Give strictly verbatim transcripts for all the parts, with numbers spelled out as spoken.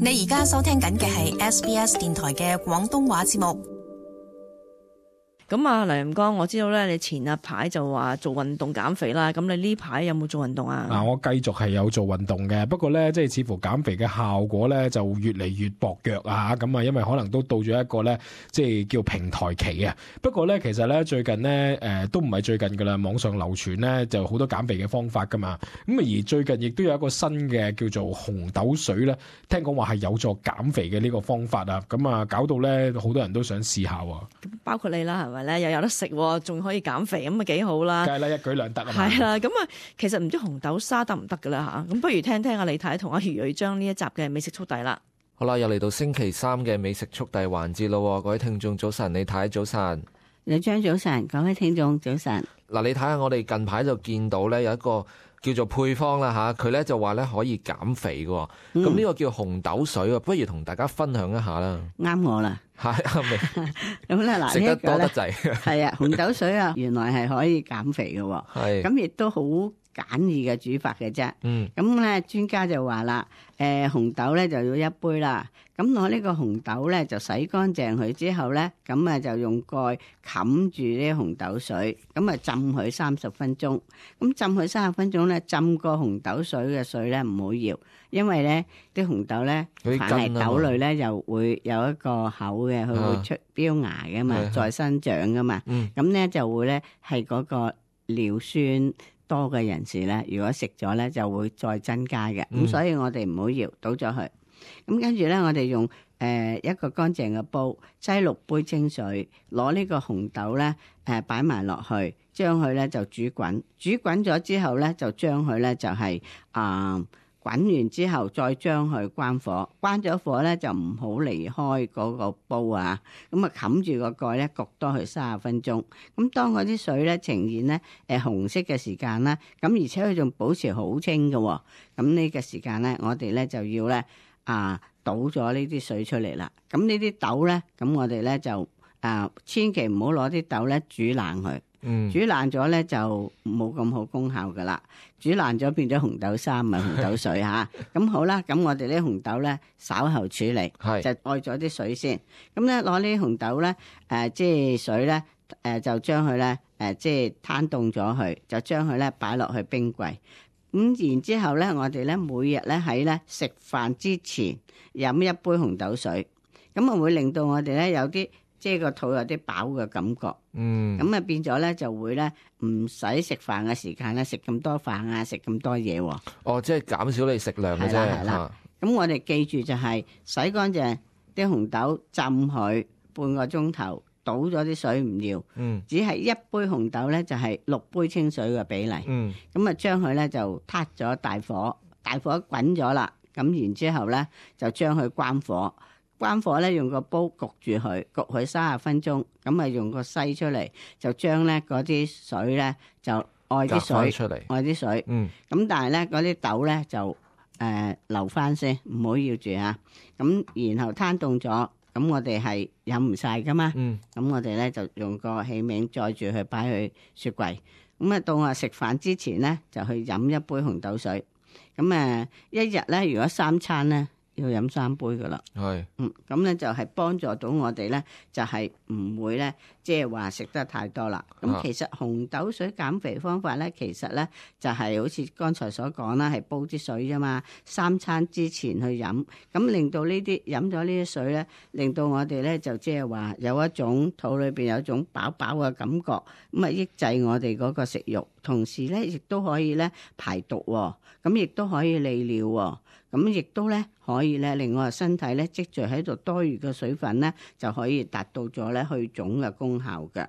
你而家收聽緊嘅係 S B S 電台嘅廣東話節目。咁啊，黎林剛，我知道咧，你前一排就話做運動減肥啦。咁你呢排有冇做運動啊？嗱，我繼續係有做運動嘅，不過咧，即係似乎減肥嘅效果咧就越嚟越薄弱啊！咁啊，因為可能都到咗一個咧，即係叫平台期啊。不過咧，其實咧最近咧，誒、呃、都唔係最近噶啦，網上流傳咧就好多減肥嘅方法噶嘛。咁啊，而最近亦都有一個新嘅叫做紅豆水咧，聽講話係有助減肥嘅呢個方法啊。咁啊，搞到咧好多人都想試下喎。包括你啦，係咪咧？又有得食，仲可以減肥，咁啊幾好啦！梗係啦，一舉兩得啊嘛。係啦，咁啊，其實唔知紅豆沙得唔得噶啦吓？咁不如聽聽阿李太同阿余蕊將呢一集嘅美食速遞啦。好啦，又嚟到星期三嘅美食速遞環節咯，各位聽眾早晨，李太早晨，李張早晨，各位聽眾早晨。嗱，你睇下我哋近排就見到咧有一個叫做配方啦吓，佢咧就話咧可以減肥嘅，咁、嗯、呢個叫紅豆水，不如同大家分享一下啦。啱我啦，係啱未？咁咧嗱，食得多得滯，係啊，紅豆水啊，原來係可以減肥嘅，係咁亦都好簡易嘅煮法嘅啫。嗯，咁咧專家就話啦，誒、呃，紅豆咧就要一杯啦。咁攞呢個紅豆咧就洗乾淨佢之後咧，咁啊就用蓋冚住呢紅豆水，咁啊浸佢三十分鐘。咁浸佢三十分鐘咧，浸過紅豆水嘅水咧唔好搖，因為咧啲紅豆咧凡係豆類咧又會有一個口嘅，佢會出標芽噶嘛，啊、再生長噶嘛。咁咧、嗯、就會咧係嗰個尿酸多嘅人士咧，如果食咗咧就會再增加嘅。咁、嗯、所以我哋唔好搖，倒咗佢。咁跟住咧，我哋用誒、呃、一個乾淨嘅煲，擠六杯清水，攞呢個紅豆咧誒擺埋落去，將佢咧就煮滾。煮滾咗之後咧，就將佢咧就係、是、啊、呃、滾完之後，再將佢關火。關咗火咧就唔好離開嗰個煲啊。咁啊冚住個蓋咧，焗多佢三十分鐘。咁當嗰啲水咧呈現咧誒、呃、紅色嘅時間啦，咁而且佢仲保持好清嘅、哦。咁呢個時間咧，我哋咧就要咧。啊，倒咗呢啲水出嚟啦。咁呢啲豆咧，咁我哋咧就啊，千祈唔好攞啲豆咧煮爛佢。嗯，煮爛咗咧就冇咁好功效噶啦。煮爛咗變咗紅豆沙，唔係紅豆水吓。咁好啦，咁我哋啲紅豆咧稍後處理，是就愛咗啲水先。咁咧攞呢啲紅豆咧，誒、呃，即係水咧，誒、呃，就將佢咧，誒、呃，即係攤凍咗佢，就將佢咧擺落去冰櫃。咁然之後咧，我哋咧每日咧喺咧食飯之前飲一杯紅豆水，咁啊會令到我哋咧有啲即係個肚有啲飽嘅感覺。嗯，咁啊變咗咧就會咧唔使食飯嘅時間咧食咁多飯啊，食咁多嘢。哦，即係減少你食量嘅啫。係啦，咁我哋記住就係洗乾淨啲紅豆，浸佢半個鐘頭。倒咗啲水唔要，嗯、只係一杯紅豆咧就係、是、六杯清水嘅比例，咁啊將佢咧就撻咗大火，大火滾咗啦，咁然之後咧就將佢關火，關火咧用個煲焗住佢，焗佢三十分鐘，咁啊用個篩出嚟，就將咧嗰啲水咧就愛啲水出嚟，愛啲水，咁、嗯、但係咧嗰啲豆咧就誒、呃、留翻先，唔好要住啊，咁然後攤凍咗。咁我哋係飲唔晒噶嘛，咁、嗯、我哋咧就用個器皿載住佢擺去雪櫃，咁啊到我食飯之前咧就去飲一杯紅豆水，咁誒一日咧如果三餐咧要飲三杯噶啦，係，嗯，咁咧就係幫助到我哋咧，就係唔會咧，即係話食得太多啦。咁其實紅豆水減肥方法咧，其實咧就係好似剛才所講啦，係煲啲水啫嘛，三餐之前去飲，咁令到呢啲飲咗呢啲水咧，令到我哋咧就即係話有一種肚裏邊有一種飽飽嘅感覺，咁啊抑制我哋嗰個食慾，同時咧亦都可以咧排毒，咁亦都可以利尿，咁亦都咧可以咧令我哋身體咧積聚喺度多餘嘅水分咧，就可以達到咗咧去腫嘅功效嘅。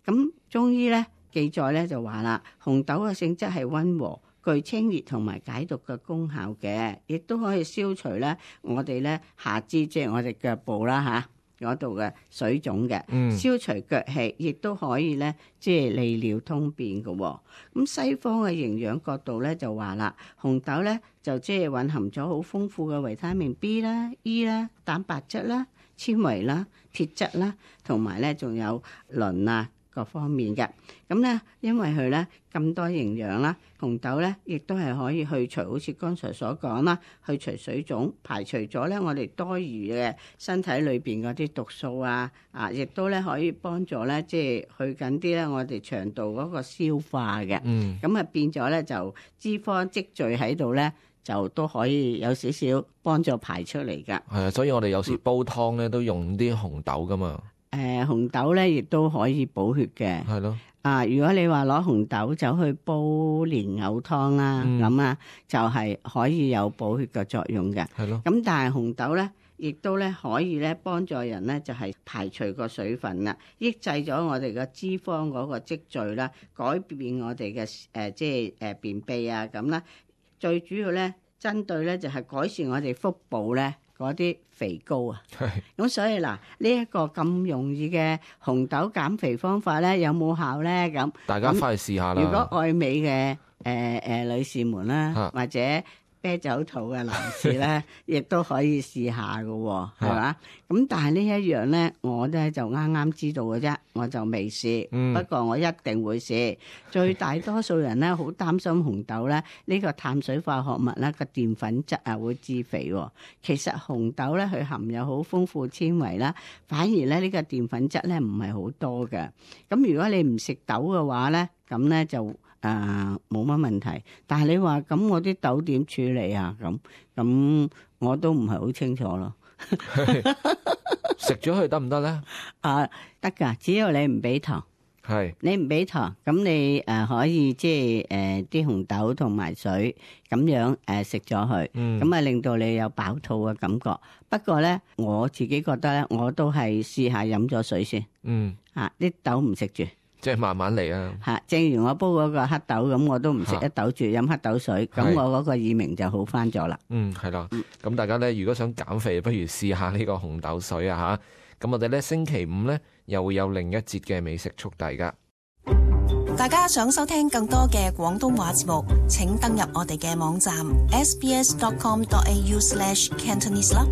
咁中醫咧記載咧就話啦，紅豆嘅性質係溫和，具清熱同埋解毒嘅功效嘅，亦都可以消除咧我哋咧下肢即係我哋腳部啦嚇嗰度嘅水腫嘅，嗯、消除腳氣，亦都可以咧即係利尿通便嘅。咁西方嘅營養角度咧就話啦，紅豆咧就即係蘊含咗好豐富嘅維他命 B 啦、E 啦、蛋白質啦、纖維啦、鐵質啦，同埋咧仲有磷啊、各方面嘅。咁咧，因為佢咧咁多營養啦，紅豆咧亦都係可以去除，好似剛才所講啦，去除水腫，排除咗咧我哋多餘嘅身體裏邊嗰啲毒素啊，啊，亦都咧可以幫助咧即係去緊啲咧我哋腸道嗰個消化嘅。嗯，咁啊變咗咧就脂肪積聚喺度咧，就都可以有少少幫助排出嚟㗎。係啊，所以我哋有時煲湯咧都用啲紅豆㗎嘛。誒、呃、紅豆咧亦都可以補血嘅。係咯。啊，如果你話攞紅豆走去煲蓮藕湯啦，咁啊、嗯、就係可以有補血嘅作用嘅。係咯。咁但係紅豆咧，亦都咧可以咧幫助人咧，就係排除個水分啦，抑制咗我哋嘅脂肪嗰個積聚啦，改變我哋嘅誒即係誒便秘啊咁啦。最主要咧，針對咧就係改善我哋腹部咧嗰啲肥膏啊。係。咁所以嗱，呢一個咁容易嘅紅豆減肥方法咧，有冇效咧？咁大家翻去試下啦。如果愛美嘅誒誒女士們啦，啊、或者啤酒肚嘅男士咧，亦都可以試下㗎喎，係嘛？咁但係呢一樣咧，我咧就啱啱知道嘅啫，我就未試。嗯、不過我一定會試。最大多數人咧，好擔心紅豆咧，呢、呢個碳水化合物咧個澱粉質啊會致肥喎。其實紅豆咧，佢含有好豐富纖維啦，反而咧呢個澱粉質咧唔係好多嘅。咁如果你唔食豆嘅話咧，咁咧就誒冇乜問題，但係你話咁我啲豆點處理啊？咁咁我都唔係好清楚咯。食咗佢得唔得咧？啊，得㗎，只要你唔俾糖。係。你唔俾糖，咁你誒、呃、可以即係誒啲紅豆同埋水咁樣誒食咗佢，咁啊、嗯、令到你有飽肚嘅感覺。不過咧，我自己覺得咧，我都係試下飲咗水先。嗯。啊，啲豆唔食住。即係慢慢嚟啊！嚇，正如我煲嗰個黑豆咁，我都唔食一豆住，飲黑豆水，咁我嗰個耳鳴就好翻咗啦。嗯，係啦。咁大家咧，如果想減肥，不如試下呢個紅豆水啊嚇！咁我哋咧星期五咧又會有另一節嘅美食速遞噶。大家想收聽更多嘅廣東話節目，請登入我哋嘅網站 s b s dot com dot a u slash cantonese 啦。